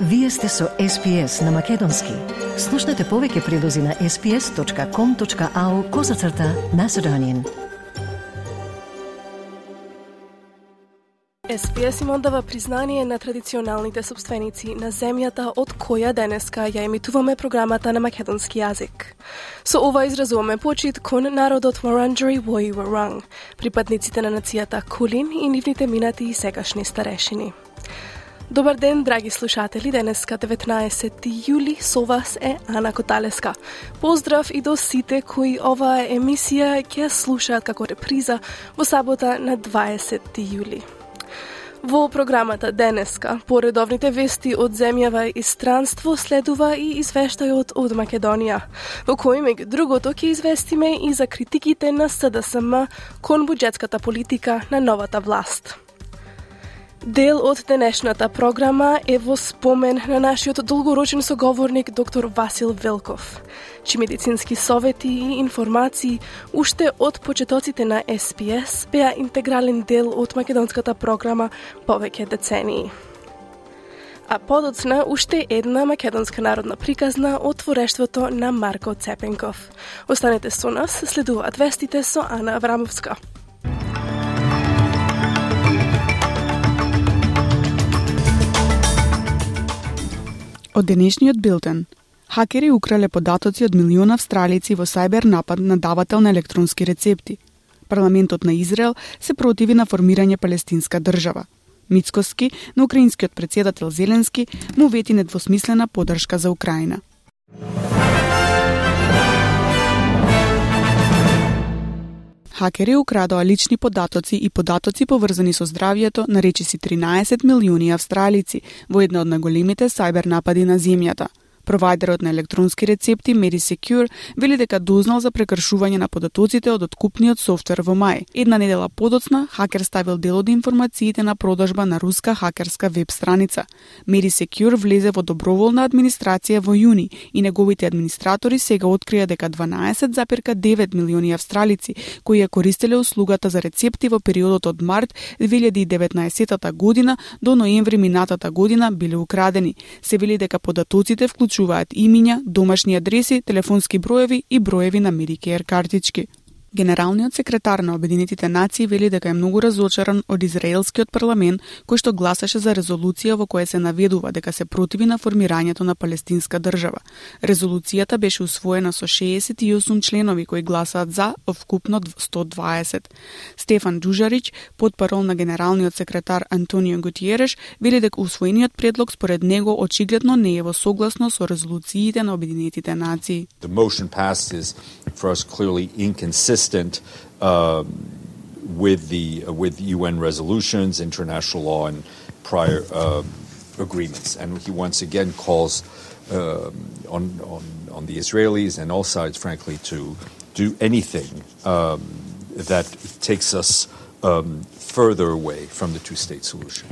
Вие сте со SPS на Македонски. Слушнете повеќе прилози на sps.com.au/Macedonian. SPS им оддава признание на традиционалните собственици на земјата од која денеска ја емитуваме програмата на македонски јазик. Со ова изразуваме почит кон народот Wurundjeri Woi Wurrung, припадниците на нацијата Кулин и нивните минати и сегашни старешини. Добар ден, драги слушатели, денеска 19 јули, со вас е Ана Коталеска. Поздрав и до сите кои оваа емисија ќе слушаат како реприза во сабота на 20 јули. Во програмата денеска, по редовните вести од земјава и странство, следува и извештајот од Македонија, во кој меѓу другото ќе известиме и за критиките на СДСМ кон буџетската политика на новата власт. Дел од денешната програма е во спомен на нашиот долгорочен соговорник доктор Васил Велков, чии медицински совети и информации уште од почетоците на SPS беа интегрален дел од македонската програма повеќе децении. А подоцна уште една македонска народна приказна од творештвото на Марко Цепенков. Останете со нас, следуваат вестите со Ана Аврамовска. Од денешниот билтен. Хакери украле податоци од милиони австралици во сајбер напад на давател на електронски рецепти. Парламентот на Израел се противи на формирање палестинска држава. Мицкоски, на украинскиот претседател Зеленски, му вети недвосмислена поддршка за Украина. Хакери украдоа лични податоци и податоци поврзани со здравјето на речиси 13 милиони австралици во една од најголемите сајбер напади на земјата. Провајдерот на електронски рецепти MediSecure вели дека дознал за прекршување на податоците од откупниот софтвер во мај. Една недела подоцна, хакер ставил дел од информациите на продажба на руска хакерска веб страница. MediSecure влезе во доброволна администрација во јуни и неговите администратори сега открија дека 12,9 милиони австралици кои ја користеле услугата за рецепти во периодот од март 2019 година до ноември минатата година биле украдени. Се вели дека податоците вклучуваат имиња, домашни адреси, телефонски броеви и броеви на Medicare картички. Генералниот секретар на Обединетите нации вели дека е многу разочаран од израелскиот парламент кој што гласаше за резолуција во која се наведува дека се противи на формирањето на палестинска држава. Резолуцијата беше усвоена со 68 членови кои гласаат за, вкупно 120. Стефан Џужарич, потпарол на генералниот секретар Антонио Гутиереш, вели дека усвоениот предлог според него очигледно не е во согласно со резолуциите на Обединетите нации. The motion passed is for us clearly inconsistent with UN resolutions, international law, and prior agreements. And he once again calls on the Israelis and all sides, frankly, to do anything that takes us further away from the two-state solution.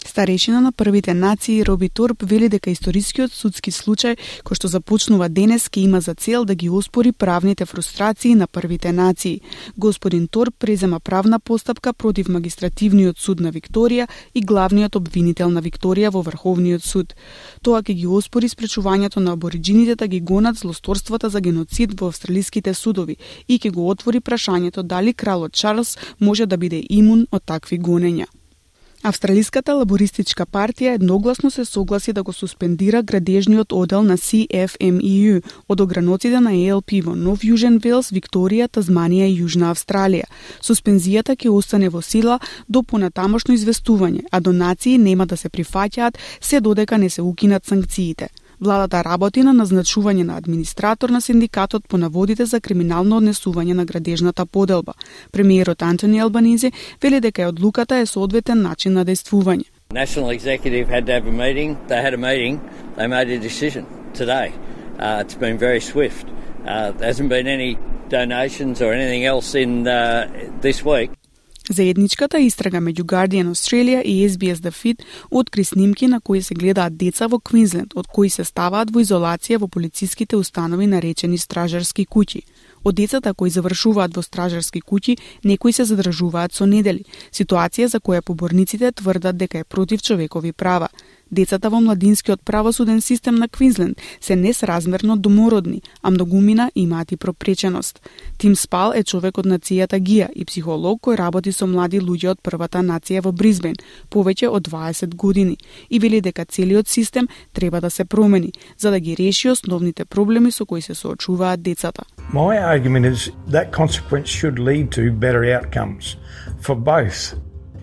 Старешина на првите нации Роби Торп вели дека историскиот судски случај кој што започнува денес ке има за цел да ги оспори правните фрустрации на првите нации. Господин Торп презема правна постапка против магистративниот суд на Викторија и главниот обвинител на Викторија во Врховниот суд. Тоа ќе ги оспори спречувањето на абориџините да ги гонат злосторствата за геноцид во австралиските судови и ќе го отвори прашањето дали кралот Чарлс може да биде имун од такви гонења. Австралиската лабористичка партија едногласно се согласи да го суспендира градежниот одел на CFMEU од ограноците на ALP во Нов Јужен Велс, Викторија, Тазманија и Јужна Австралија. Суспензијата ќе остане во сила до понатамошно известување, а донации нема да се прифаќаат се додека не се укинат санкциите. Владата работи на назначување на администратор на синдикатот по наводите за криминално однесување на градежната поделба. Премиерот Антони Албанизи вели дека одлуката е соодветен начин на действување. National Executive had to have a meeting. They had a meeting. They made a decision today. It's been very swift. There hasn't been any donations or anything else in this week. Заедничката истрага меѓу Guardian Australia и SBS The Fit откри снимки на кои се гледаат деца во Квинсленд, од кои се ставаат во изолација во полициските установи наречени стражарски куќи. Од децата кои завршуваат во стражарски куќи, некои се задржуваат со недели, ситуација за која поборниците тврдат дека е против човекови права. Децата во младинскиот правосуден систем на Квинсленд се несразмерно домородни, а многумина имаат и пропреченост. Тим Спал е човек од нацијата Гија и психолог кој работи со млади луѓе од првата нација во Брисбен повеќе од 20 години и вели дека целиот систем треба да се промени за да ги реши основните проблеми со кои се соочуваат децата. My argument is that consequence should lead to better outcomes for both.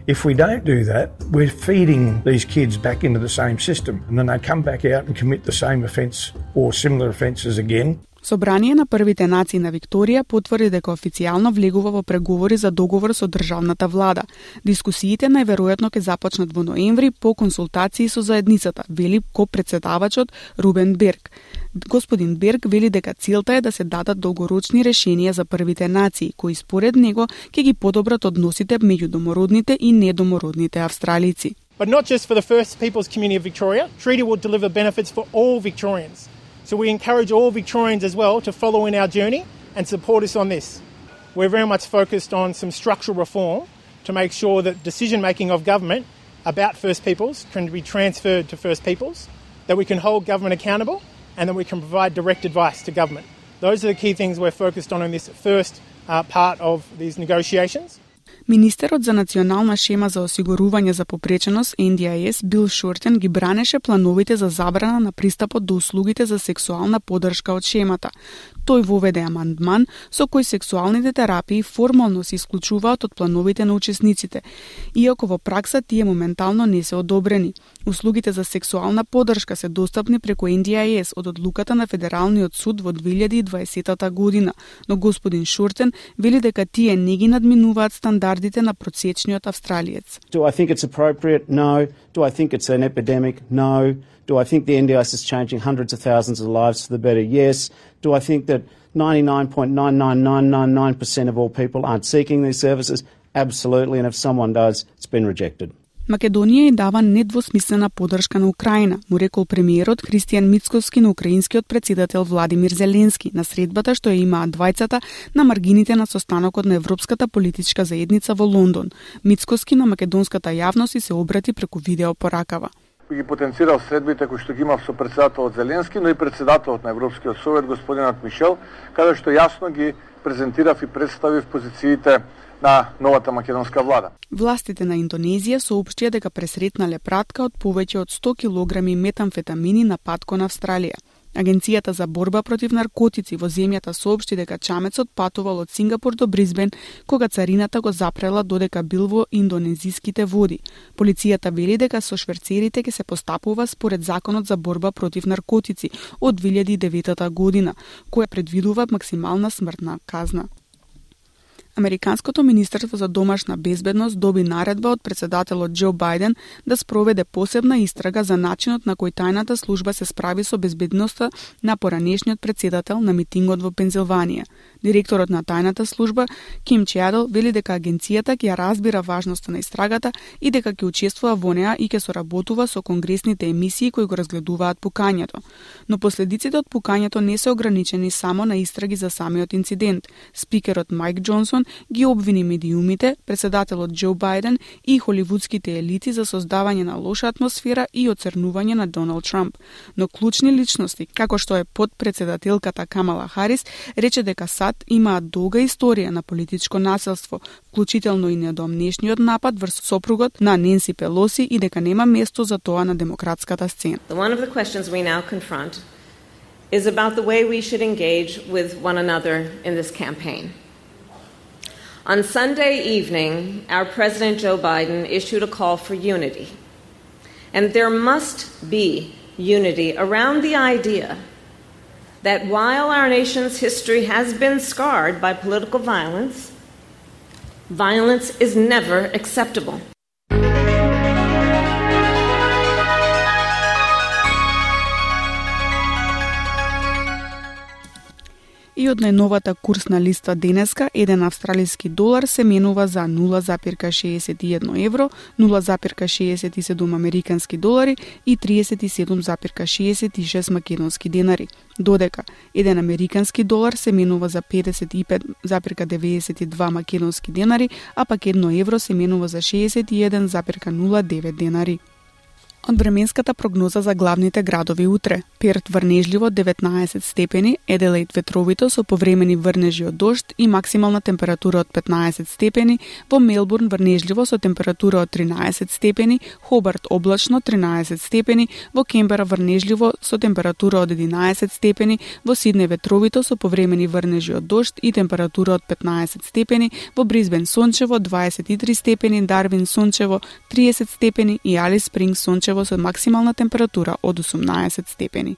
If we don't do that, we're feeding these kids back into the same system and then they come back out and commit the same offence or similar offences again. Собрание на првите нации на Викторија потврди дека официјално влегува во преговори за договор со државната влада. Дискусиите најверојатно ќе започнат во ноември по консултации со заедницата, вели ко-претседавачот Рубен Берг. Господин Берг вели дека целта е да се дадат долгорочни решенија за првите нации, кои според него ќе ги подобрат односите меѓу домородните и недомородните австралици. But not just for the First Peoples community of Victoria, treaty will deliver benefits for all Victorians. So we encourage all Victorians as well to follow in our journey and support us on this. We're very much focused on some structural reform to make sure that decision-making of government about First Peoples can be transferred to First Peoples, that we can hold government accountable, and that we can provide direct advice to government. Those are the key things we're focused on in this first part of these negotiations. Министерот за национална шема за осигурување за попреченост NDIS Бил Шортен ги бранеше плановите за забрана на пристапот до услугите за сексуална поддршка од шемата. Тој воведе амандман со кој сексуалните терапии формално се исклучуваат од плановите на учесниците, иако во пракса тие моментално не се одобрени. Услугите за сексуална поддршка се достапни преку NDIS од одлуката на Федералниот суд во 2020 година, но господин Шортен вели дека тие не ги надминуваат стандардите на просечниот австралиец. Do I think it's appropriate? No. Do I think it's an epidemic? No. Do I think the NDIS is changing hundreds of thousands of lives for the better? Yes. Do I think that 99.99999% of all people aren't seeking these services? Absolutely. And if someone does, it's been rejected. Македонија и дава недвосмислена поддршка на Украина, му рекол премиерот Христијан Мицкоски на украинскиот претседател Владимир Зеленски на средбата што ја имаат двајцата на маргините на состанокот на Европската политичка заедница во Лондон. Мицкоски на македонската јавност се обрати преку видео поракава. Ги потенцирал средбите кои што ги имав со претседателот Зеленски, но и претседателот на Европскиот совет господинот Мишел, каде што јасно ги презентирав и представив позициите на новата македонска влада. Властите на Индонезија соопштија дека пресретнале пратка од повеќе од 100 килограми метамфетамини на пат кон Австралија. Агенцијата за борба против наркотици во земјата соопшти дека чамецот патувал од Сингапур до Брисбен кога царината го запрела додека бил во индонезиските води. Полицијата вели дека со шверцерите ќе се постапува според законот за борба против наркотици од 2009 година, која предвидува максимална смртна казна. Американското министерство за домашна безбедност доби наредба од претседателот Џо Бајден да спроведе посебна истрага за начинот на кој тајната служба се справи со безбедноста на поранешниот претседател на митингот во Пензилванија. Директорот на тајната служба Ким Чјадл вели дека агенцијата ќе разбира важноста на истрагата и дека ќе учествува во неа и ќе соработува со конгресните емисии кои го разгледуваат пукањето. Но последиците од пукањето не се ограничени само на истраги за самиот инцидент. Спикерот Мајк Џонсон ги обвини медиумите, претседателот Џо Бајден и холивудските елити за создавање на лоша атмосфера и оцрнување на Доналд Трамп. Но клучни личности, како што е подпредседателката Камала Харис, рече дека САД имаат долга историја на политичко насилство, вклучително и недомнешниот напад врз сопругот на Ненси Пелоси и дека нема место за тоа на демократската сцена. One of the questions we now confront is about the way we should engage with one another in this campaign. On Sunday evening, our President Joe Biden issued a call for unity. And there must be unity around the idea that while our nation's history has been scarred by political violence, violence is never acceptable. И од најновата курсна листа денеска, еден австралиски долар се менува за 0,61 евро, 0,67 американски долари и 37,66 македонски денари. Додека еден американски долар се менува за 55,92 македонски денари, а пак 1 евро се менува за 61,09 денари. Од временската прогноза за главните градови утре: Перт врнежливо 19 степени, Еделаид ветровито со повремени врнежи од дожд и максимална температура од 15 степени, во Мелбурн врнежливо со температура од 13 степени, Хобарт облачно 13 степени, во Кембера врнежливо со температура од 11 степени, во Сиднеј ветровито со повремени врнежи од дожд и температура од 15 степени, во Брисбен сончево 23 степени, Дарвин сончево 30 степени и Алис Спрингс сончево со максимална температура од 18 степени.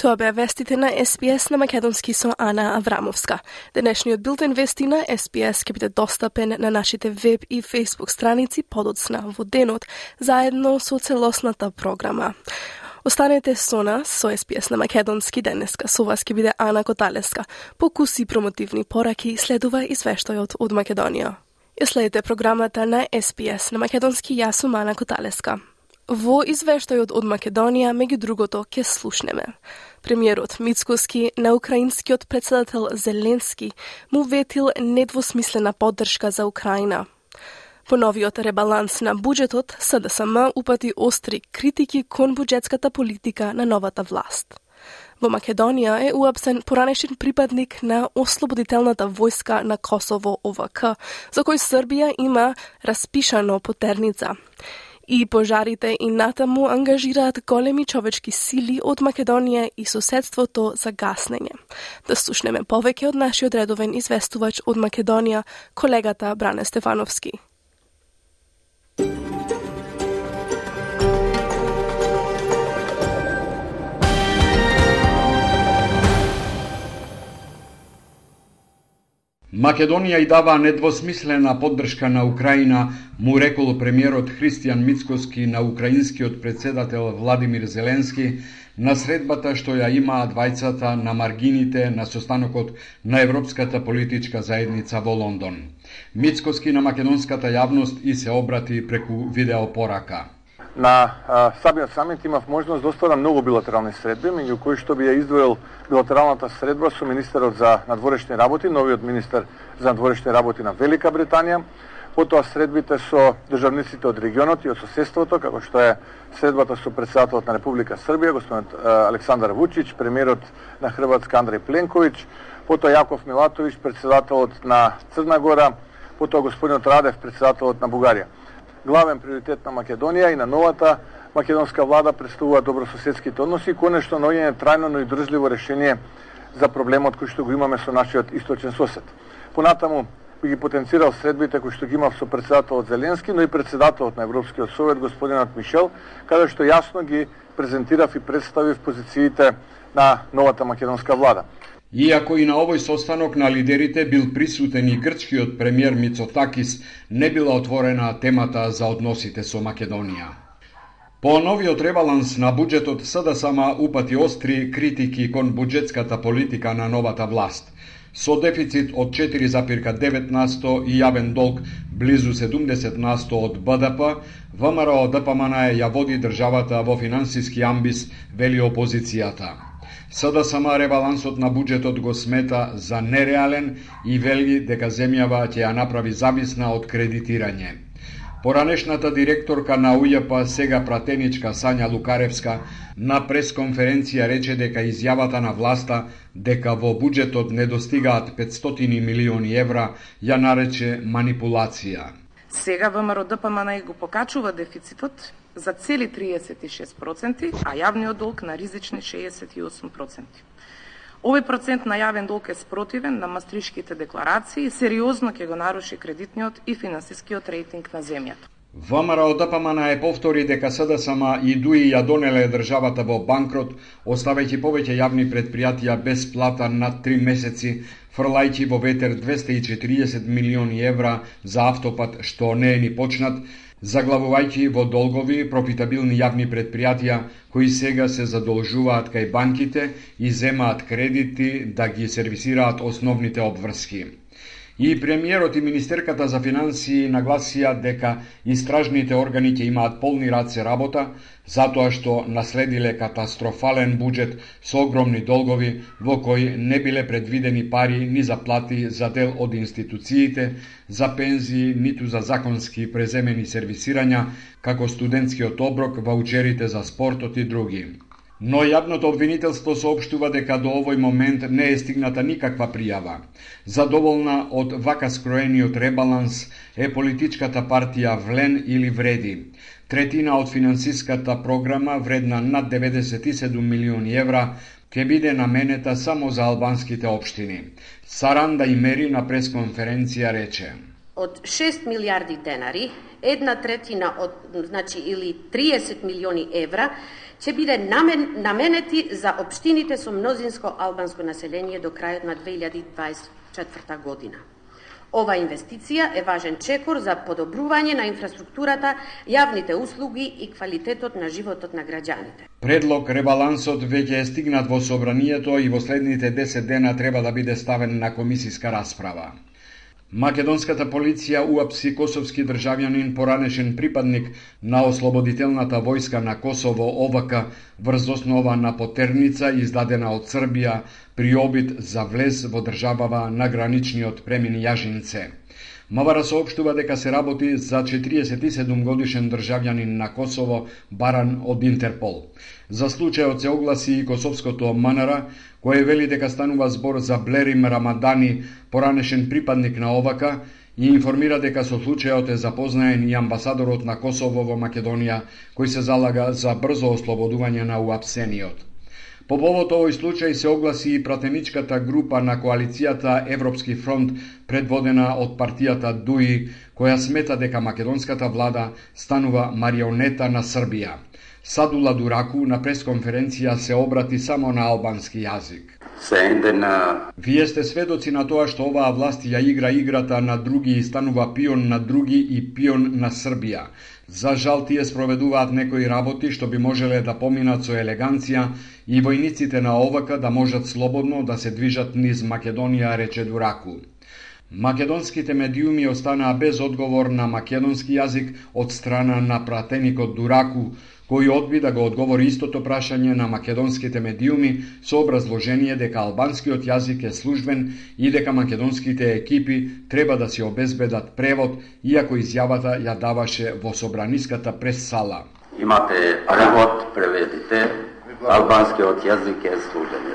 Тоа беа вестите на СПС на македонски со Ана Аврамовска. Денешниот билтен вести на СПС ќе биде достапен на нашите веб и фейсбук страници подоцна во денот, заедно со целосната програма. Останете со нас, со СПС на македонски денеска. Со вас ќе биде Ана Коталеска. Покуси промотивни пораки следува извештајот од Македонија. Ја следите програмата на СПС на македонски, јас сум Ана Коталеска. Во извештајот од Македонија, меѓу другото, ќе слушнеме. Премиерот Мицкоски на украинскиот председател Зеленски му ветил недвосмислена поддршка за Украина. По новиот ребаланс на буџетот, СДСМ упати остри критики кон буџетската политика на новата власт. Во Македонија е уапсен поранешен припадник на Ослободителната војска на Косово ОВК, за кој Србија има распишано потерница. И пожарите и натаму ангажираат големи човечки сили од Македонија и соседството за гаснење. Да слушнеме повеќе од нашиот редовен известувач од Македонија, колегата Бране Стефановски. Македонија и дава недвосмислена поддршка на Украина, му рекол премиерот Христијан Мицкоски на украинскиот председател Владимир Зеленски на средбата што ја имаат двајцата на маргините на состанокот на Европската политичка заедница во Лондон. Мицкоски на македонската јавност и се обрати преку видеопорака. На самиот самит имав можност да остварам многу билатерални средби, меѓу кои што би ја издвоил билатералната средба со министерот за надворешни работи, новиот министер за надворешни работи на Велика Британија, потоа средбите со државниците од регионот и од соседството, како што е средбата со председателот на Република Србија, господин Александар Вучич, премиерот на Хрватска Андреј Пленковиќ, потоа Јаков Милатовиќ, председателот на Црна Гора, потоа господинот Радев, председателот на Бугарија. Главен приоритет на Македонија и на новата македонска влада представува добрососедските односи и конечно наоѓање трајно, но и држливо решение за проблемот кој што го имаме со нашиот источен сосед. Понатаму би ги потенцирал средбите кои што ги имав со председателот Зеленски, но и председателот на Европскиот совет господинот Мишел, каде што јасно ги презентирав и представив позициите на новата македонска влада. Иако и на овој состанок на лидерите бил присутен и грчкиот премиер Мицотакис, не била отворена темата за односите со Македонија. По новиот ребаланс на буџетот СДСМ упати остри критики кон буџетската политика на новата власт. Со дефицит од 4,9% и јавен долг близу 70% од БДП, ВМРО ДПМН ја води државата во финансиски амбис, вели опозицијата. СДСМ ребалансот на буџетот го смета за нереален и вели дека земјава ќе ја направи зависна од кредитирање. Поранешната директорка на УЈП, сега пратеничка Сања Лукаревска, на пресконференција рече дека изјавата на власта дека во буџетот не достигаат 500 милиони евра ја нарече манипулација. Сега ВМРО ДПМН го покачува дефицитот за цели 36%, а јавниот долг на ризични 68%. Овој процент на јавен долг е спротивен на мастришките декларации и сериозно ќе го наруши кредитниот и финансискиот рейтинг на земјата. ВМРО ДПМН повтори дека СДСМ и ДУИ ја донеле државата во банкрот, оставајќи повеќе јавни предпријатија без плата над 3 месеци, фрлајќи во ветер 240 милиони евра за автопат што не е ни почнат, заглавувајќи во долгови профитабилни јавни предпријатија кои сега се задолжуваат кај банките и земаат кредити да ги сервисираат основните обврски. И премиерот и министерката за финансии нагласија дека истражните органи ќе имаат полни раце работа, затоа што наследиле катастрофален буџет со огромни долгови во кој не биле предвидени пари ни за плати за дел од институциите, за пензии, ниту за законски преземени сервисирања, како студентскиот оброк, ваучерите за спортот и други. Но јавното обвинителство соопштува дека до овој момент не е стигната никаква пријава. Задоволна од вака скроениот ребаланс е политичката партија Влен или Вреди. Третина од финансиската програма, вредна над 97 милиони евра, ќе биде наменета само за албанските општини. Саранда Имери на пресконференција рече: Од 6 милиарди денари, 1/3 од, или 30 милиони евра, ќе биде наменети за општините со мнозинско албанско население до крајот на 2024 година. Ова инвестиција е важен чекор за подобрување на инфраструктурата, јавните услуги и квалитетот на животот на граѓаните. Предлог ребалансот веќе е стигнат во собранието и во следните 10 дена треба да биде ставен на комисиска расправа. Македонската полиција уапси косовски државјанин, поранешен припадник на Ослободителната војска на Косово ОВК врз основа на потерница издадена од Србија при обид за влез во државава на граничниот премин Јажинце. Мавара соопштува дека се работи за 47 годишен државјанин на Косово баран од Интерпол. За случајот се огласи и косовското МНР, кој вели дека станува збор за Блерим Рамадани, поранешен припадник на ОВК, и информира дека со случајот е запознаен и амбасадорот на Косово во Македонија, кој се залага за брзо ослободување на уапсениот. По повод овој случај се огласи и пратеничката група на коалицијата Европски фронт, предводена од партијата ДУИ, која смета дека македонската влада станува марионета на Србија. Садула Дураку на пресконференција се обрати само на албански јазик. Вие сте сведоци на тоа што оваа власт ја игра играта на други и станува пион на други и пион на Србија. За жал тие спроведуваат некои работи што би можеле да поминат со елеганција и војниците на ОВК да можат слободно да се движат низ Македонија, рече Дураку. Македонските медиуми останаа без одговор на македонски јазик од страна на пратеникот Дураку, кој одби да го одговори истото прашање на македонските медиуми со образложение дека албанскиот јазик е службен и дека македонските екипи треба да си обезбедат превод, иако изјавата ја даваше во собраниската прес-сала. Имате превод, преведите, албанскиот јазик е службен.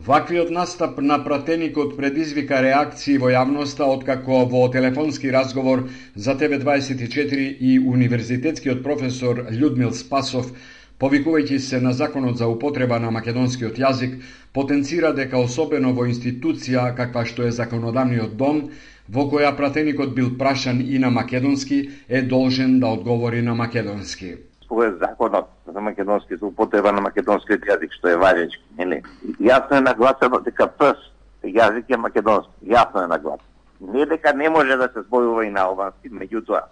Ваквиот настап на пратеникот предизвика реакции во јавноста, откако во телефонски разговор за ТВ24 и универзитетскиот професор Људмил Спасов, повикувајќи се на законот за употреба на македонскиот јазик, потенцира дека особено во институција каква што е законодавниот дом, во која пратеникот бил прашан и на македонски, е должен да одговори на македонски. Ова е законот за македонски, за употреба на македонскиот јазик, што е важечки, нели? Јасно е нагласено дека јазик е македонски, јасно е нагласено. Не дека не може да се зборува и на албански, меѓутоа,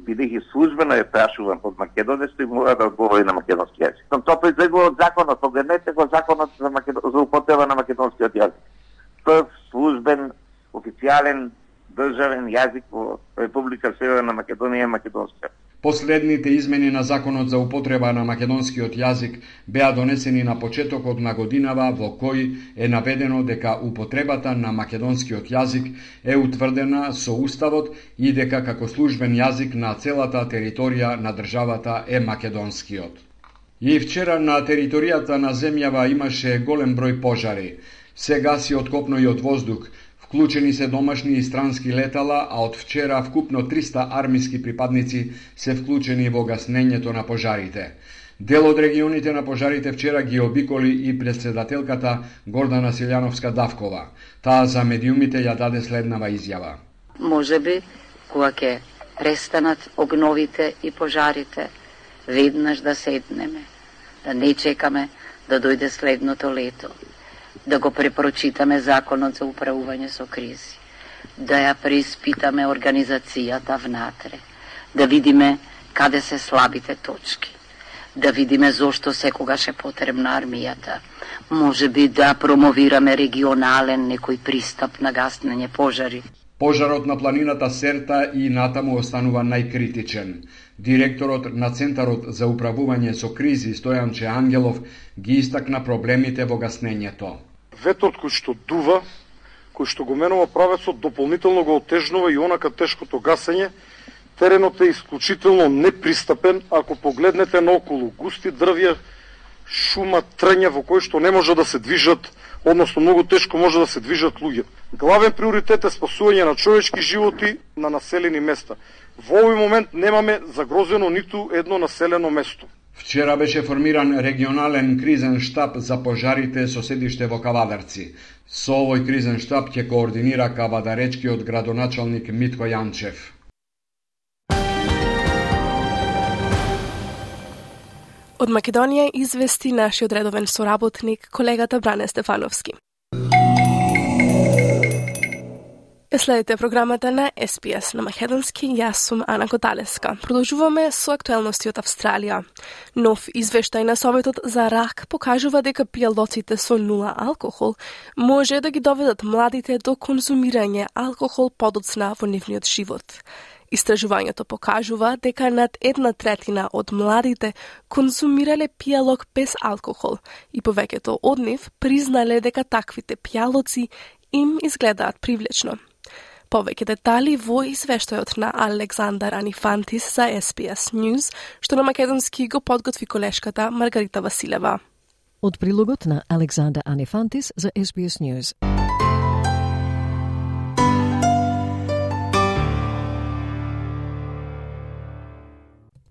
бидејќи службено е прашуван под македонски, мора да одговори на македонски јазик. Но тоа произлегува од законот, погледнете го законот за употреба на македонскиот јазик. Прв службен, официјален, државен јазик во Република Северна Македонија е македонски. Последните измени на законот за употреба на македонскиот јазик беа донесени на почетокот на годинава, во кој е наведено дека употребата на македонскиот јазик е утврдена со уставот и дека како службен јазик на целата територија на државата е македонскиот. И вчера на територијата на земјава имаше голем број пожари. Се гаси од копно и од воздух. Вклучени се домашни и странски летала, а од вчера вкупно 300 армиски припадници се вклучени во гаснењето на пожарите. Дел од регионите на пожарите вчера ги обиколи и председателката Гордана Силјановска-Давкова. Таа за медиумите ја даде следнава изјава. Можеби, кога ќе престанат огновите и пожарите, веднаш да седнеме, да не чекаме да дојде следното лето, да го препрочитаме законот за управување со кризи, да ја преиспитаме организацијата внатре, да видиме каде се слабите точки, да видиме зошто секогаш е потребна армијата. Може би да промовираме регионален некој пристап на гаснење пожари. Пожарот на планината Серта и натаму останува најкритичен. Директорот на Центарот за управување со кризи Стојанче Ангелов ги истакна проблемите во гаснењето. Ветрот кој што дува, кој што го менува правецот, дополнително го отежнува и онака тешкото гасење. Теренот е исклучително непристапен, ако погледнете наоколу густи дрвја, шума, трња во кој што не може да се движат, односно многу тешко може да се движат луѓе. Главен приоритет е спасување на човечки животи на населени места. Во овој момент немаме загрозено ниту едно населено место. Вчера беше формиран регионален кризен штаб за пожарите со седиште во Кавадарци. Со овој кризен штаб ќе координира кавадаречкиот градоначалник Митко Јанчев. Од Македонија извести нашиот редовен соработник, колегата Бране Стефановски. Следите програмата на SPS на македонски, јас сум Ана Коталеска. Продолжуваме со актуелности од Австралија. Нов извештај на Советот за рак покажува дека пијалоците со нула алкохол може да ги доведат младите до конзумирање алкохол подоцна во нивниот живот. Истражувањето покажува дека над 1/3 од младите конзумирале пијалок без алкохол и повеќето од нив признале дека таквите пијалоци им изгледаат привлечно. Повеќе детали во извештајот на Александар Анифантис за SPS News, што на македонски го подготви колешката Маргарита Василева. Од прилогот на Александар Анифантис за SPS News.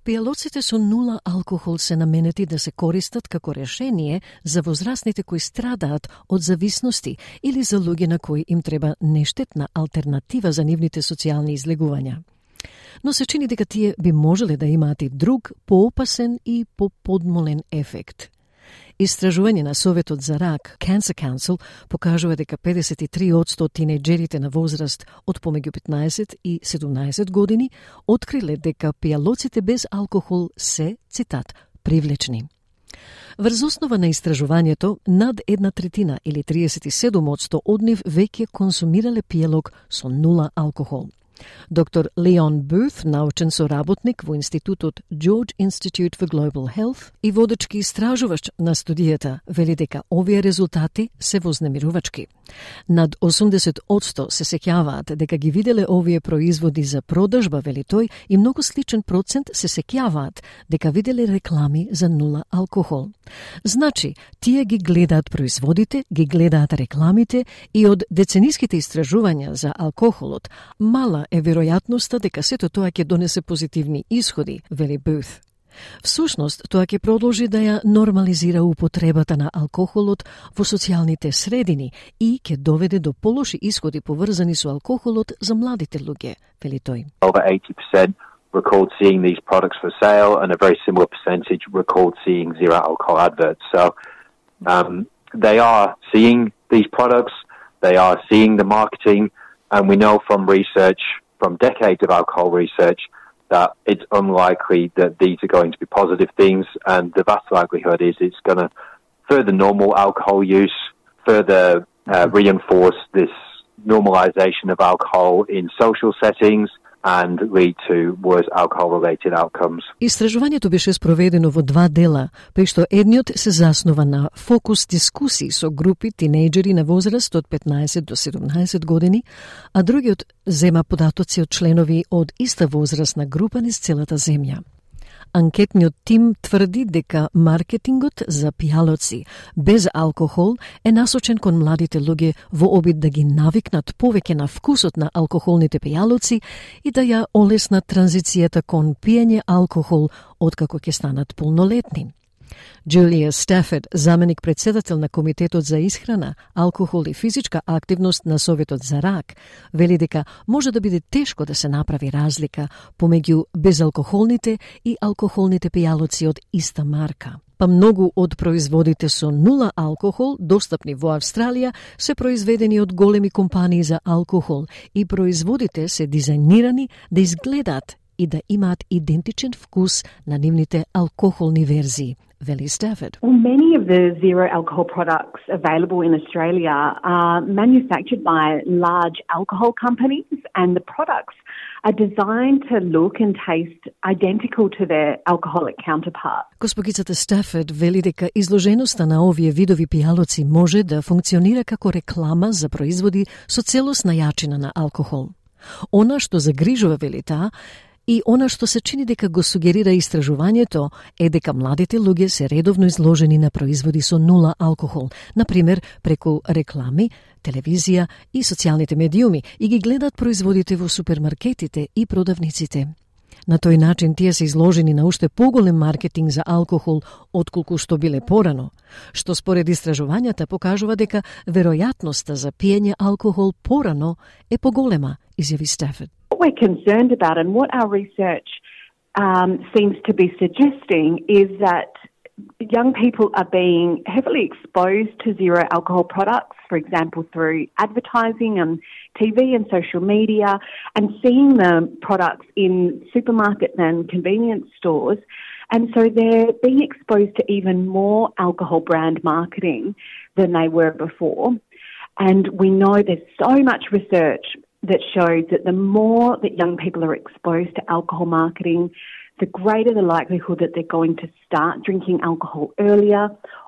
Пијалоците со нула алкохол се наменети да се користат како решение за возрастните кои страдаат од зависности или за луѓе на кои им треба нештетна алтернатива за нивните социјални излегувања. Но се чини дека тие би можеле да имаат и друг, поопасен и поподмолен ефект. Истражување на Советот за рак, Cancer Council, покажува дека 53% од тинејџерите на возраст од помеѓу 15 и 17 години откриле дека пијалоците без алкохол се, цитат, привлечни. Врз основа на истражувањето, над 1/3 или 37% од нив веќе консумирале пијалок со нула алкохол. Доктор Леон Бут, научен соработник во Институтот George Institute for Global Health и водечки истражувач на студијата, вели дека овие резултати се вознемирувачки. Над 80% се сеќаваат дека ги виделе овие производи за продажба, вели тој, и многу сличен процент се сеќаваат дека виделе реклами за нула алкохол. Значи, тие ги гледаат производите, ги гледаат рекламите и од децениските истражувања за алкохолот, мала е веројатноста дека сето тоа ќе донесе позитивни исходи, вели Бут. Всушност, тоа ќе продолжи да ја нормализира употребата на алкохолот во социјалните средини и ќе доведе до полоши исходи поврзани со алкохолот за младите луѓе, вели тој. Over 80% recalled seeing these products for sale, and a very similar percentage recalled seeing zero alcohol adverts. So they are seeing these products, they are seeing the marketing, and we know from research, from decades of alcohol research, that it's unlikely that these are going to be positive things, and the vast likelihood is it's going to further normal alcohol use, further reinforce this normalization of alcohol in social settings, and lead to worse alcohol-related outcomes. Истражувањето беше спроведено во два дела, при што едниот се заснува на фокус дискусии со групи тинејџери на возраст од 15 до 17 години, а другиот зема податоци од членови од иста возрастна група низ целата земја. Анкетниот тим тврди дека маркетингот за пијалоци без алкохол е насочен кон младите луѓе во обид да ги навикнат повеќе на вкусот на алкохолните пијалоци и да ја олеснат транзицијата кон пиење алкохол откако ќе станат полнолетни. Джулија Стафорд, заменик председател на Комитетот за исхрана, алкохол и физичка активност на Советот за рак, вели дека може да биде тешко да се направи разлика помеѓу безалкохолните и алкохолните пијалоци од иста марка. Па многу од производите со нула алкохол, достапни во Австралија, се произведени од големи компании за алкохол и производите се дизајнирани да изгледаат и да имаат идентичен вкус на нивните алкохолни верзии, вели Stafford. Well, many of the zero alcohol products available in Australia are manufactured by large alcohol companies, and the products are designed to look and taste identical to their alcoholic counterparts. Госпогицата Stafford вели дека изложеноста на овие видови пијалоци може да функционира како реклама за производи со целосна јачина на алкохол. Она што загрижува, вели таа, и она што се чини дека го сугерира истражувањето е дека младите луѓе се редовно изложени на производи со нула алкохол, например преку реклами, телевизија и социјалните медиуми, и ги гледат производите во супермаркетите и продавниците. На тој начин тие се изложени на уште поголем маркетинг за алкохол отколку што биле порано, што според истражувањата покажува дека веројатноста за пиење алкохол порано е поголема, изјави Stafford. What we're concerned about and what our research seems to be suggesting is that young people are being heavily exposed to zero alcohol products, for example, through advertising on TV and social media, and seeing the products in supermarkets and convenience stores. And so they're being exposed to even more alcohol brand marketing than they were before. And we know there's so much research that shows that the more that young people are exposed to alcohol marketing, the greater the likelihood that they're going to start drinking alcohol earlier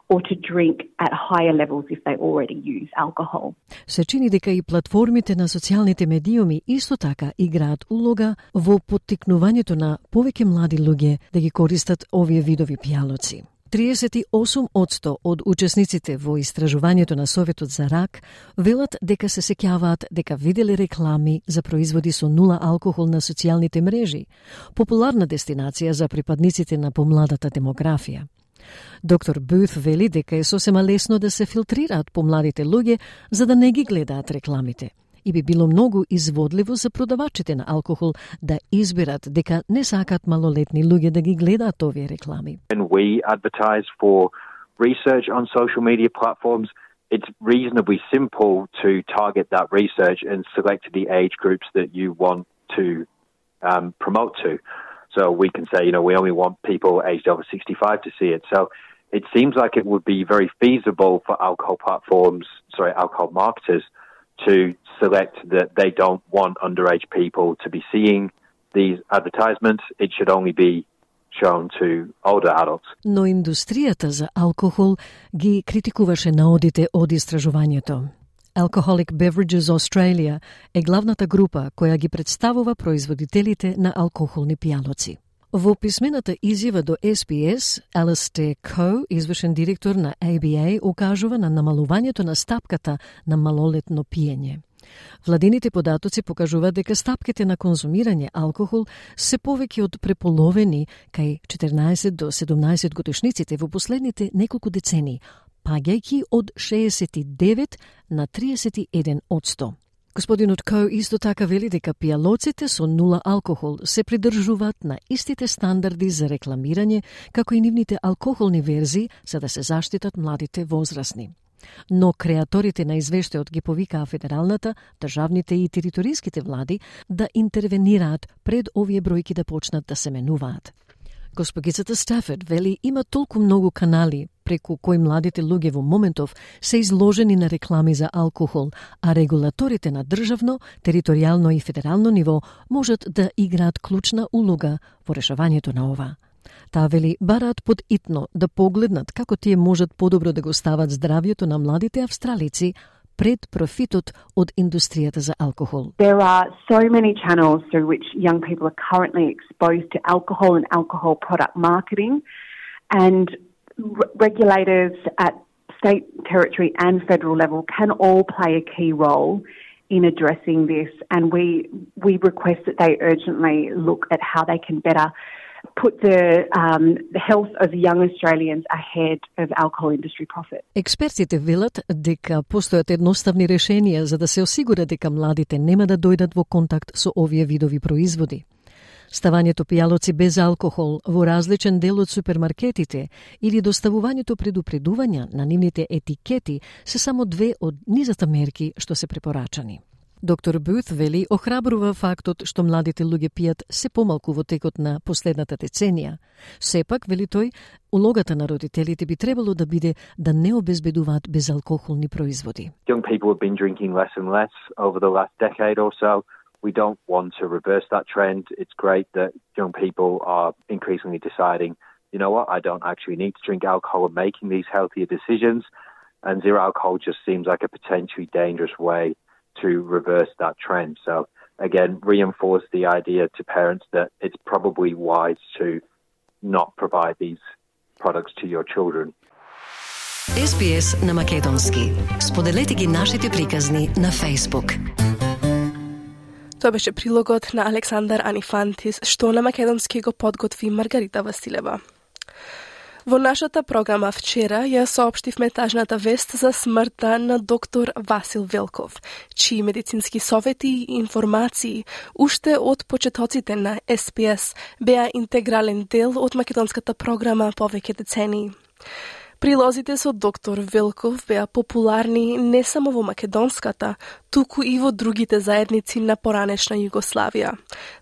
or to drink at higher levels if they already use alcohol. Се чини дека и платформите на социјалните медиуми исто така играат улога во поттикнувањето на повеќе млади луѓе да ги користат овие видови пијалоци. 38% од учесниците во истражувањето на Советот за рак велат дека се сеќаваат дека виделе реклами за производи со нула алкохол на социјалните мрежи, популарна дестинација за припадниците на помладата демографија. Доктор Бут вели дека е сосема лесно да се филтрираат помладите луѓе за да не ги гледаат рекламите. И би било многу изводливо за продавачите на алкохол да изберат дека не сакат малолетни луѓе да ги гледаат овие реклами. When we advertise for research on social media platforms, it's reasonably simple to target that research and select the age groups that you want to promote to. So we can say, we only want people aged over 65 to see it. So it seems like it would be very feasible for alcohol marketers to select that they don't want underage people to be seeing these advertisements. It should only be shown to older adults. Но индустријата за алкохол ги критикуваше наодите од истражувањето. Alcoholic Beverages Australia е главната група која ги представува производителите на алкохолни пијалоци. Во писмената изјава до SBS, Alistair Coe, извршен директор на ABA, укажува на намалувањето на стапката на малолетно пиење. Владините податоци покажуваат дека стапките на конзумирање алкохол се повеќе од преполовени кај 14 до 17 годишниците во последните неколку децении, паѓајќи од 69 на 31%. Господинот Коу исто така вели дека пијалоците со нула алкохол се придржуваат на истите стандарди за рекламирање како и нивните алкохолни верзии за да се заштитат младите возрастни. Но креаторите на извештајот ги повикаа федералната, државните и териториските влади да интервенираат пред овие бројки да почнат да се менуваат. Госпогицата Stafford вели има толку многу канали преку кои младите луѓе во моментов се изложени на реклами за алкохол, а регулаторите на државно, територијално и федерално ниво можат да играат клучна улога во решавањето на ова. Таа вели бараат подитно да погледнат како тие можат подобро да го стават здравјето на младите австралици пред профитот од индустријата за алкохол. There are so many channels through which young people are currently exposed to alcohol and alcohol product marketing, and regulators at state, territory and federal level can all play a key role in addressing this, and we request that they urgently look at how they can better put the health of young Australians ahead of alcohol industry profit. Експертите велат дека постојат едноставни решенија за да се осигура дека младите нема да дојдат во контакт со овие видови производи. Ставањето пијалоци без алкохол во различен дел од супермаркетите или доставувањето предупредувања на нивните етикети се само две од низата мерки што се препорачани. Доктор Бут вели охрабрува фактот што младите луѓе пијат се помалку во текот на последната деценија. Сепак, вели тој, улогата на родителите би требало да биде да не обезбедуваат безалкохолни производи. Young people have been drinking less and less over the last decade or so. We don't want to reverse that trend. It's great that young people are increasingly deciding, you know what, I don't actually need to drink alcohol and making these healthier decisions. And zero alcohol just seems like a potentially dangerous way to reverse that trend. So again, reinforce the idea to parents that it's probably wise to not provide these products to your children. SBS на македонски. Споделете ги нашите приказни на Facebook. Тоа беше прилогот на Александар Анифантис, што на македонски го подготви Маргарита Василева. Во нашата програма вчера ја соопштивме тажната вест за смртта на доктор Васил Велков, чии медицински совети и информации уште од почетоците на SPS беа интегрален дел од македонската програма повеќе децении. Прилозите со доктор Велков беа популарни не само во македонската, туку и во другите заедници на поранешна Југославија.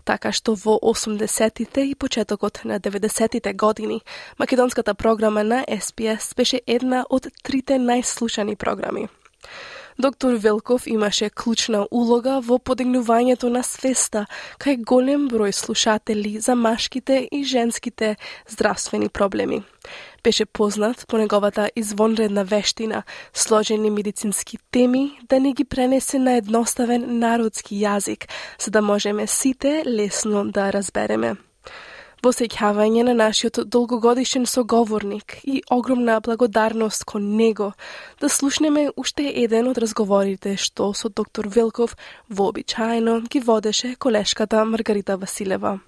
Така што во 80-тите и почетокот на 90-тите години, македонската програма на SPS беше една од трите најслушани програми. Доктор Велков имаше клучна улога во подигнувањето на свеста кај голем број слушатели за машките и женските здравствени проблеми. Беше познат по неговата извонредна вештина, сложени медицински теми, да ни ги пренесе на едноставен народски јазик, за да можеме сите лесно да разбереме. Во сеќавање на нашиот долгогодишен соговорник и огромна благодарност кон него, да слушнеме уште еден од разговорите што со доктор Велков вообичаено ги водеше колешката Маргарита Василева.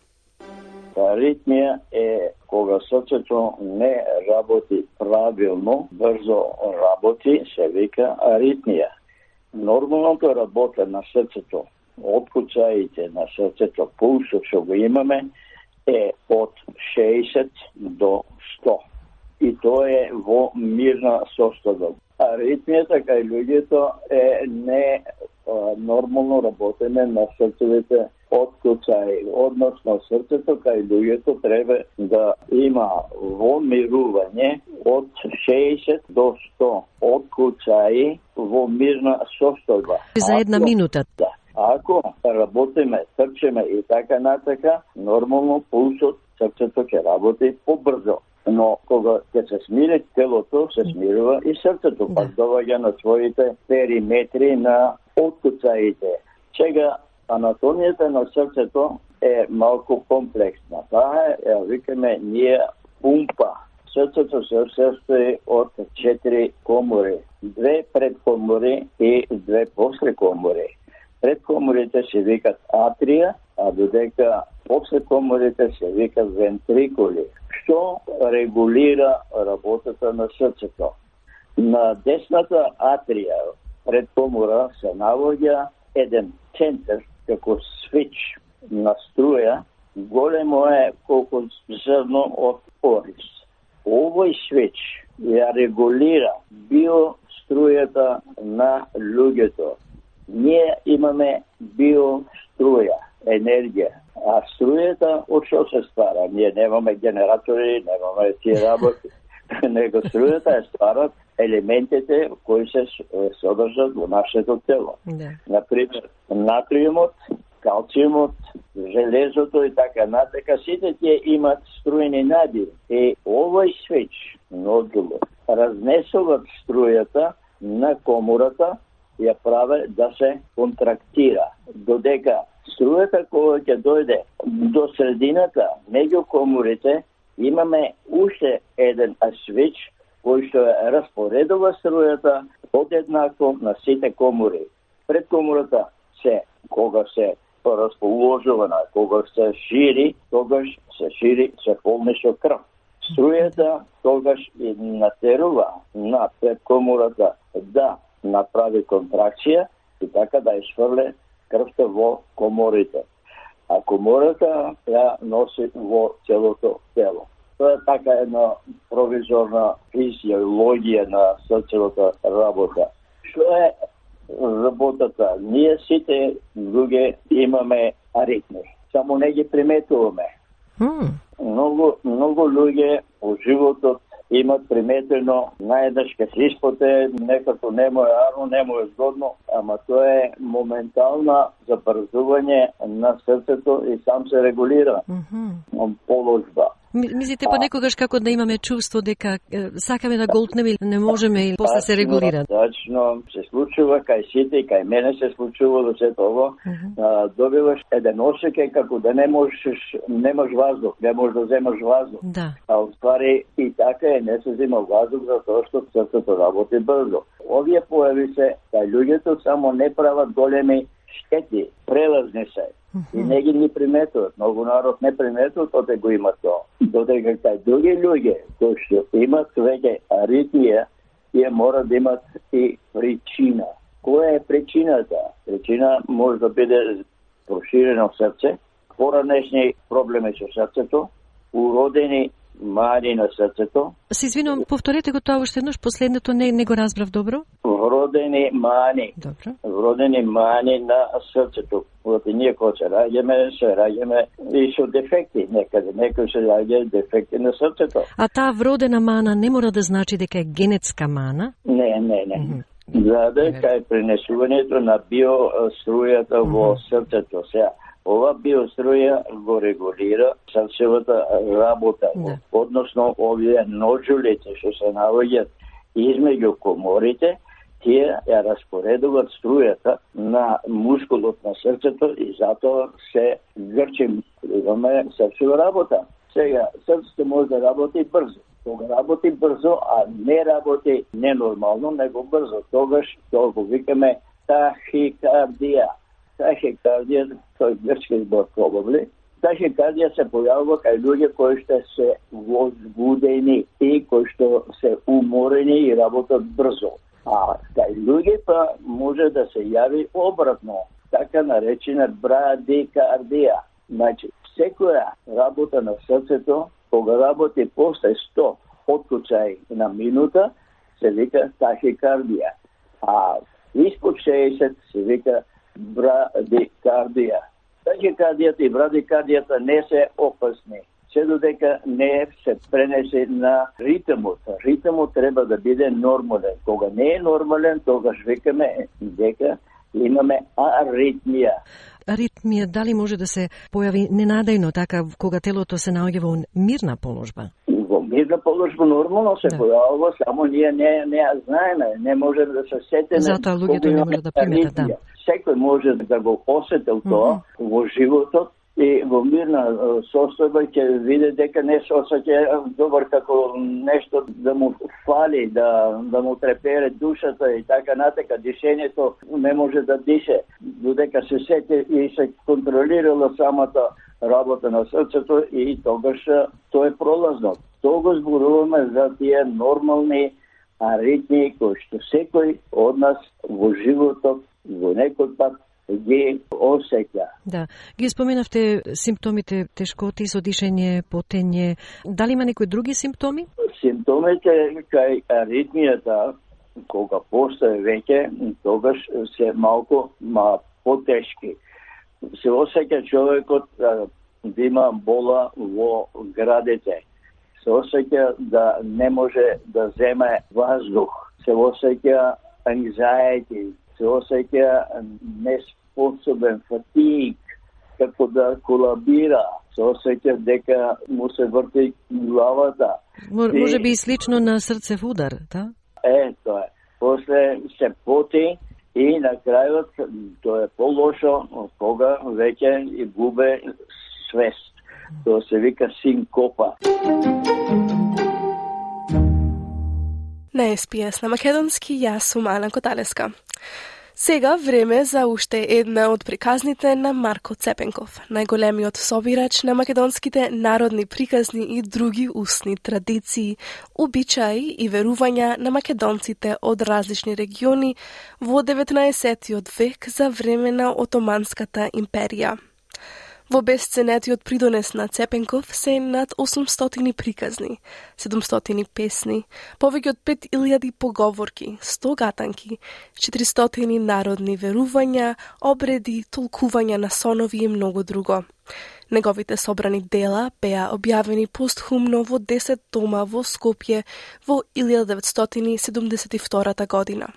Аритмија е кога срцето не работи правилно, брзо работи, се вика аритмија. Нормалното работа на срцето, откуцаите на срцето, пулсот што го имаме, е од 60 до 100. И тоа е во мирна состојба. Аритмијата кај луѓето е не нормално работење на срцевите откуцаи. Односно, срцето кај луѓето треба да има во мирување од 60 до 100 откуцаи во мирна состојба. За една минута. Да. Ако работиме, трчеме и така натака, нормално пулсот, срцето ќе работи побрзо. Но кога ќе се смири телото, се смирува и срцето, пак доваѓа на своите периметри на откуцаите. Сега, анатомијата на срцето е малку комплексна. Таа е, викаме, ние пумпа. Срцето се состои од 4 комори, 2 предкомори и 2 послекомори. Предкоморите се викат атрија, а додека послекоморите се викат вентрикули, што регулира работата на срцето. На десната атрија, предкомора, се наоѓа еден центар, како свич на струја, големо е колку зрно од орис. Овој свич ја регулира биострујата на луѓето. Ние имаме биоструја, енергија. А струјата од што се ствара? Ние немаме генератори, немаме тие работи. Него струјата е стварат елементите кои се содржат во нашето тело. Например, натриумот, калциумот, железото и така натака, сите тие имат струјни надиви. И овој свич, нодулот, разнесуваат струјата на комората, ја праве да се контрактира. Додека струјата кога ќе дојде до средината, меѓу коморите, имаме уште еден свич кој што распоредува струјата одеднакво на сите комори. Пред комората се, кога се расположувана, кога се шири, тогаш се шири, се полни со крв. Струјата тогаш и натерува на предкомората да направи контракција и така да изфрле крвта во коморите. А комората ја носи во целото тело. Тоа е така една провизорна физиологија на срцевата работа. Што е работата. Ние сите луѓе имаме аритми, само не ги приметуваме. Многу луѓе во животот имат приметено најдеш ке се испоте, некако не му е арно, не му е згодно, ама тоа е моментална забрзување на срцето и сам се регулира положба. Мислите понекогаш како да имаме чувство дека сакаме да голтнеме или не можеме и после се регулира? Точно, се случува кај сите и кај мене се случува до сето ово. Добиваш еден осеќај како да немаш воздух, не можеш да земаш воздух. Да. А уствари и така е, не се зема воздух затоа што срцето работи брзо. Овие појави се кај луѓето само не прават големи штети, прелазни се. И не ги ни приметуват. Многу народ не приметуват, оте го има тоа. Додека кај други луѓе кои што имат веќе аритмија, тие мора да имат и причина. Која е причината? Причина може да биде проширено срце, поранешни проблеми со срцето, уродени мани на срцето. Се извинувам, повторете го тоа уште еднаш, последното не го разбрав добро. Вродени мани. Добро. Вродени мани на срцето. Оти ние кога се раѓаме и со дефекти. Некои се раѓаат дефекти на срцето. А таа вродена мана не мора да значи дека е генетска мана? Не. Заде кај пренесувањето на биострујата во срцето. Сега, ова биоструја го регулира срцевата работа, односно овие ножулите што се наоѓаат измеѓу коморите, тие ја распоредуваат струјата на мускулот на срцето и затоа се грчи, имаме срцева работа. Сега, срцето може да работи брзо. Кога работи брзо, а не работи ненормално, него брзо. Тогаш тоа го викаме тахикардија. Тахикардија, тој грчки збор probably. Тахикардија се појавува кај луѓе кои што се возбудени и кои што се уморени и работат брзо. А кај луѓе па може да се јави обратно, така наречена брадикардија. Значи, секоја работа на срцето, кога работи после 100 откучај на минута, се вика тахикардија. А испод 60 се вика брадикардија. Тахикардијата и брадикардијата не се опасни, се додека не се пренесе на ритмот. Ритмот треба да биде нормален. Кога не е нормален, тогаш викаме дека имаме аритмија. Аритмија дали може да се појави ненадејно, така кога телото се наоѓа во мирна положба? Во мирна положба нормално се појавува, само ние не ја знаеме, не можеме да се сетиме. Затоа луѓето не може да приметат, да. Секој може да го осетил тоа во животот и во мирна состојба ќе види дека не се осеќа добар како нешто да му фали, да му трепере душата и така натака. Дишењето не може да дише, додека се сети и се контролирала самата работа на срцето и тогаш тоа е пролазно. Тоа го зборуваме за тие нормални аритмии кои што секој од нас во животот во некој пат ги осеќа. Да. Ги споменавте симптомите тешкоти со дишење, потење. Дали има некои други симптоми? Симптомите кај аритмијата, кога постои веќе, тогаш се малку потешки. Се осеќа човекот да има бола во градите. Се осеќа да не може да земе воздух. Се осеќа anxiety, се осеќа неспособен, фатиг, како да колабира, се осеќа дека му се врти главата. Може би и слично на срцев удар, да? Тоа е. После се поти и на крајот тоа е полошо кога веќе и губе свест. Тоа се вика синкопа. На СПС на македонски, јас сум Ана Коталеска. Сега време за уште една од приказните на Марко Цепенков, најголемиот собирач на македонските народни приказни и други устни традиции, обичаи и верувања на македонците од различни региони во 19. век за време на Отоманската империја. Во бесценетиот придонес на Цепенков се над 800 приказни, 700 песни, повеќе од 5000 поговорки, 100 гатанки, 400 народни верувања, обреди, толкувања на сонови и многу друго. Неговите собрани дела беа објавени постхумно во 10 тома во Скопје во 1972 година.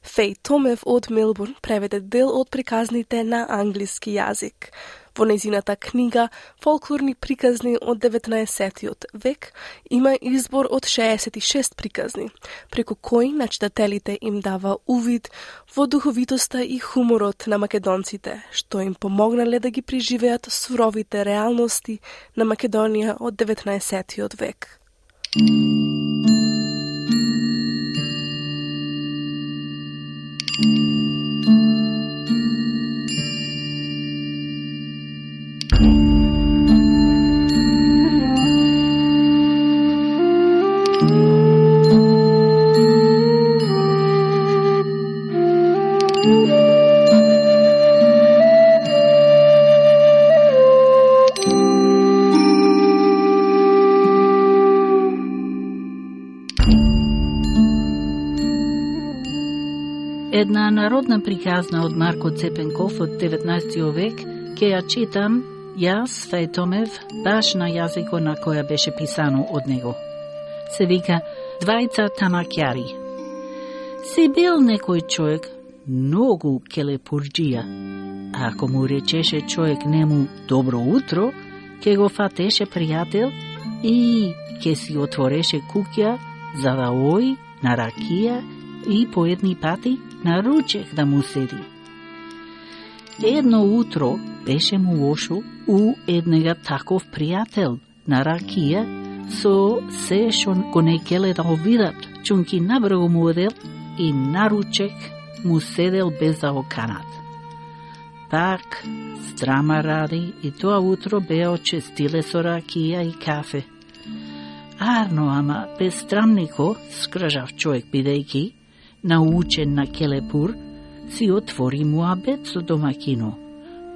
Феј Томев од Мелбурн преведе дел од приказните на англиски јазик. Во нејзината книга Фолклорни приказни од 19 век има избор од 66 приказни, преку кои на читателите им дава увид во духовитоста и хуморот на македонците, што им помогнале да ги преживеат суровите реалности на Македонија од 19 век. Една народна приказна од Марко Цепенков од 19 век, ке ја читам јас, Феј Томев, баш на јазикот на која беше писано од него. Се вика Двајца тамакјари. Си бил некој човек многу келепурџија. Ако му речеше човек нему добро утро, ке го фатеше пријател и ке си отвореше куќа за да ој на ракија и по едни пати на ручек да му седи. Едно утро беше му лошо у еднега таков пријател на ракија со се шо го не келе да го видат, чунки набрзо му одел и на ручек му седел без да го канат. Пак страма ради и тоа утро беа очестиле со ракија и кафе. Арно, ама безстрамнико, скржав човек бидејќи научен на келепур, си отвори муабет со домакино.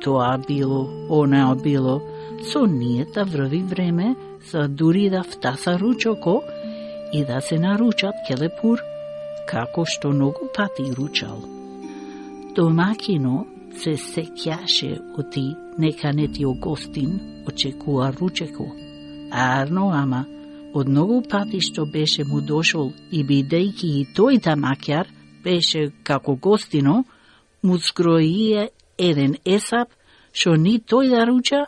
Тоа било, она било, со ние да врви време за дури да втаса ручоко и да се наручат келепур, како што многу пати ручал. Домакино се сеќаше оти нека не ти огостин очекува ручеко. Арно, ама од многу пати што беше му дошол и бидејќи и тој тамакјар беше како гостино, му скроие еден есап што ни тој да руча,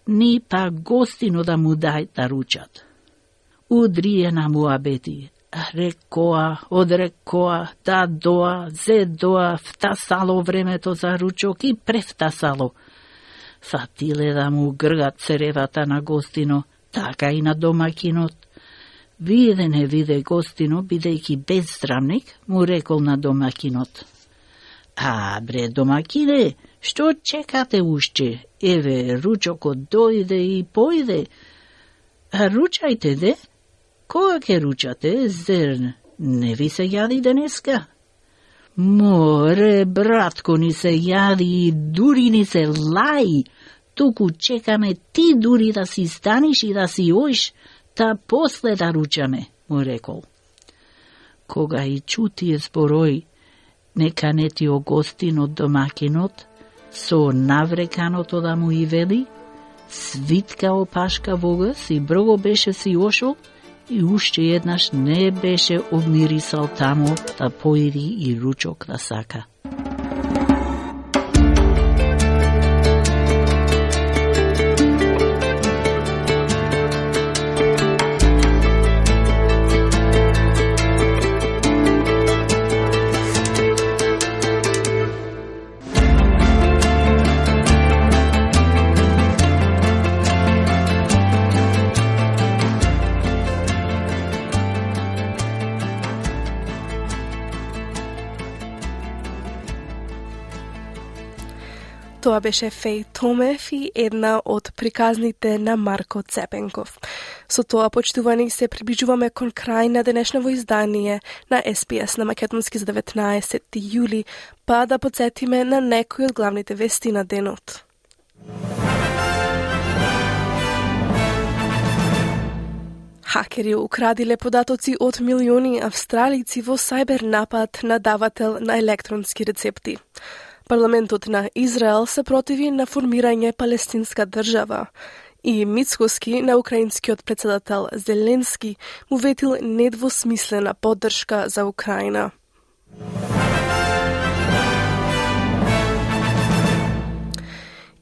ни па гостино да му дај да ручат. Удрие на муабети, рекоа, одрекоа, да доа, зе доа, втасало времето за ручок и превтасало. Фатиле да му гргат цревата на гостино, така и на домакинот. Виде не виде гостино, бидејќи безздравник, му рекол на домакинот. А, бре, домакине, што чекате уште? Еве, ручокот дојде и појде. А ручајте, де? Кога ке ручате, зер не ви се јади денеска? Море, братко, ни се јади и дури ни се лај. Туку чекаме ти дури да си станиш и да си оиш, та после да ручаме, му рекол. Кога и чутие зборој, нека не ти огостин од домакинот, со навреканото да му и вели, свитка опашка вогас и брго беше си ошол и уште еднаш не беше обмирисал таму да поиди и ручок да сака. Тоа беше Феј Томев и една од приказните на Марко Цепенков. Со тоа, почитувани, се приближуваме кон крај на денешново издание на СПС на Македонски за 19 јули, па да подсетиме на некои од главните вести на денот. Хакери украдиле податоци од милиони австралици во сайбер напад на давател на електронски рецепти. Парламентот на Израел се противи на формирање палестинска држава и Мицкоски на украинскиот председател Зеленски му ветил недвосмислена поддршка за Украина.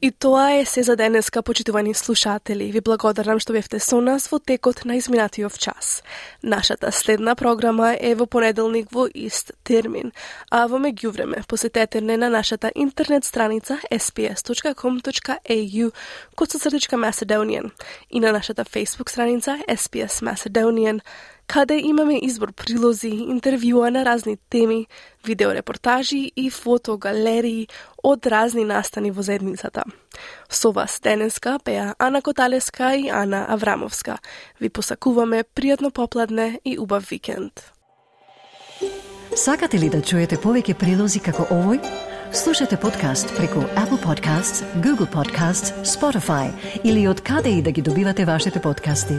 И тоа е се за денеска, почитувани слушатели. Ви благодарам што бевте со нас во текот на изминатиот час. Нашата следна програма е во понеделник во ист термин, а во меѓувреме посетете не на нашата интернет страница sps.com.au/Macedonian и на нашата Facebook страница SPS Macedonian, каде имаме избор прилози, интервјуа на разни теми, видеорепортажи и фотогалерии од разни настани во заедницата. Со вас денеска беа Ана Коталеска и Ана Аврамовска. Ви посакуваме пријатно попладне и убав викенд. Сакате ли да чуете повеќе прилози како овој? Слушате подкаст преку Apple Podcasts, Google Podcasts, Spotify или од каде и да ги добивате вашите подкасти.